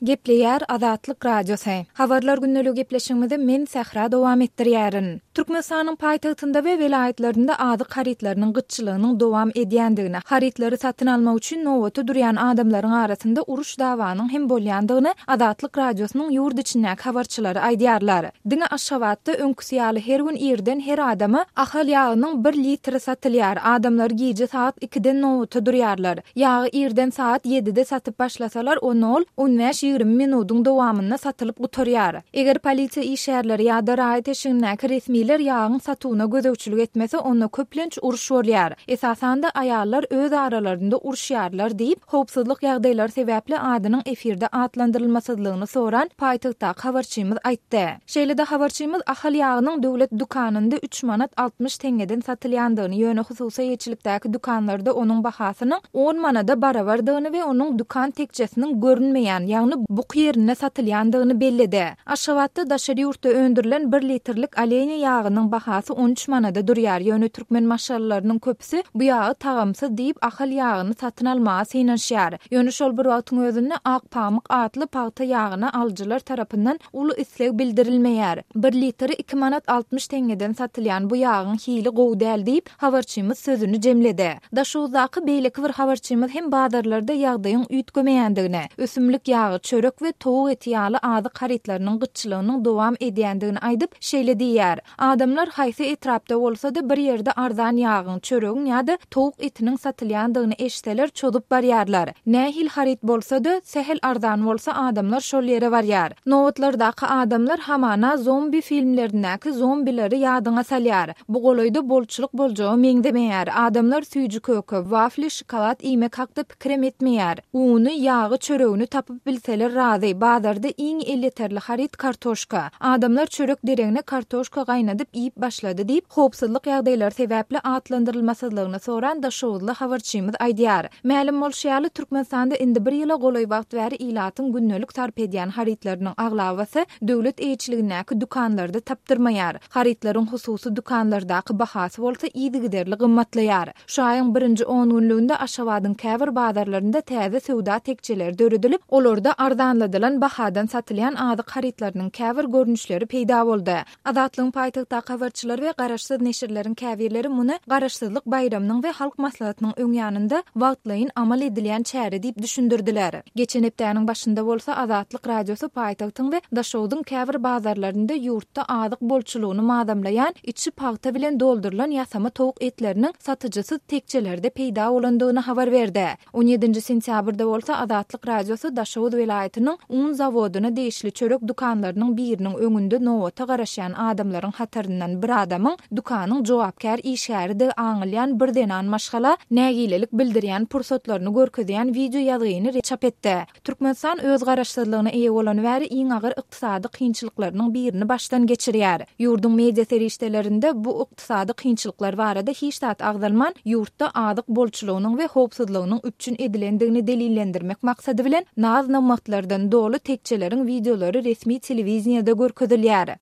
Gepleýär Azatlyk Radiosy. Habarlar gündeligi gepleşigimizi men Sähra dowam etdirýärin. Türkmenistanyň paýtagtynda we welaýatlarynda azyk harytlarynyň gytçylygynyň dowam edýändigini, harytlary satyn almak üçin nobata durýan adamlaryň arasynda uruş-dawanyň hem bolýandygyny Azatlyk Radiosynyň ýurt içindäki habarçylary aýdýarlar. Diňe Aşgabatda öňküsi ýaly her gün irden her adama Ahal ýagynyň bir litri satylýar. Adamlar gije sagat ikiden nobata durýarlar. Ýagy irden sagat ýedide satyp başlasalar, onda ol on bäş-ýigrimi minudyň dowamynda satylyp gutarýar. Eger polisiýa işgärleri ýa-da raýat eşigindäki resmiler ýagyň satuwyna gözegçilik etmese, onda köplenç uruş bolýar. Esasan-da, aýallar öz aralarynda uruşýarlar diýip, howpsuzlyk ýagdaýlary sebäpli adynyň efirde atlandyrylmasyzlygyny soran paýtagtdaky habarçymyz aýtdy. Şeýle-de habarçymyz Ahal ýagynyň döwlet dükanynda üç manat 60 teňňeden satylýandygyny, ýöne hususy eýeçilikdäki dükanlarda onuň bahasynyň on manada barabardygyny we onuň dükan tekjesiniň görünmeýän, ýagny buky ýerinde satylýandygyny belledi. Aşgabatda daşary ýurtda öndürilen bir litrlik Oleniýa ýagynyň bahasy 13 manada durýar, ýöne türkmen maşgalalarynyň köpüsi bu ýagy tagamsyz diýip, Ahal ýagyny satyn almaga synanyşýar. Ýöne şol bir wagtyň özünde Ak pamyk atly pagta ýagyna alyjylar tarapyndan uly isleg bildirilmeýär. Bir litri iki manat 60 teňňeden satylýan bu ýagyň hili gowy däl diýip, habarçymyz sözüni jemledi. Daşoguzdaky beýleki bir habarçymyz hem bazarlarda ýagdaýyň üýtgemeýändigini, ösümlik ýagy, çörek we towuk eti ýaly azyk harytlarynyň gytçylygynyň dowam edýändigini aýdyp, şeýle diýýär, Adamlar haýsy etrapda bolsa-da bir ýerde arzan ýagyň, çöregiň ýa-da towuk etiniň satylýandygyny eşitseler çozup barýarlar. Nähili haryt bolsa-da, sähel arzan bolsa adamlar şol ýere barýar. Nobatlardaky adamlar hamana zombi filmlerindäki zombileri ýadyňa salýar. Bu golaýda bolçulyk boljaga meňzemeýär. Adamlar süýji-köke, wafli, şokolad iýmek hakda pikirem etmeýär. Uny, ýagy, çöregini tapyp bilseler razy. Bazarda iň elýeterli haryt kartoşka. Adamlar çörek deregine kartoşka gaýnadyp iýip başlady diýip, howpsuzlyk ýagdaýlary sebäpli atlandyrylmasyzlygyny soran daşoguzly habarçymyz aýdýar. Mälim bolşy ýaly, Türkmenistanda indi bir ýyla golaý wagt bäri ilatyň gündelik sarp edýän harytlarynyň aglabasy döwlet eýeçiligindäki dükanlarda tapdyrmaýar. Harytlaryň hususy dükanlardaky bahasy bolsa yzygiderli gymmatlaýar. Şu aýyň birinji on günlüginde Aşgabadyň käbir bazarlarynda täze söwda tekjeleri döredilip, olarda arzanladylan bahadan satylýan azyk harytlarynyň käbir görnüşleri peýda boldy. Azatlygyň paýtagtdaky habarçylary we garaşsyz neşirleriň käbirleri muny Garaşsyzlyk baýramynyň we Halk Maslahatynyň öň ýanynda wagtlaýyn amal edilýän çäre diýip düşündirdiler. Geçen hepdäniň başynda bolsa Azatlyk Radiosy paýtagtyň we Daşogzuň käbir bazarlarynda ýurtda azyk bolçulygyny mazamlaýan içi pagta bilen doldurylan ýasama towuk etleriniň satyjysyz tekjelerde peýda bolandygyny habar berdi. On ýedinji sentýabrda bolsa Azatlyk Radiosy Daşoguz welaýatynyň un zawodyna degişli çörek dükanlarynyň biriniň öňünde nobata garaşýan adamlaryň hataryndan bir adamyň dükanyň jogapkär işgäridigi aňylýan bir zenan maşgala nägilelik bildirýän pursatlaryny görkezýän wideo ýazgyny çap etdi. Türkmenistan öz garaşsyzlygyna eýe bolany bäri iň agyr ykdysady kynçylyklarynyň birini başdan geçirýär. Ýurduň media serişdelerinde bu ykdysady kynçylyklar barada hiç zat agzalman, ýurtda azyk bolçulygynyň we howpsuzlygynyň üpjün edilendigini delillendirmek maksady bilen naz-nygmatlardan doly tekjeleriň wideolary resmi telewideniýede görkezilýär.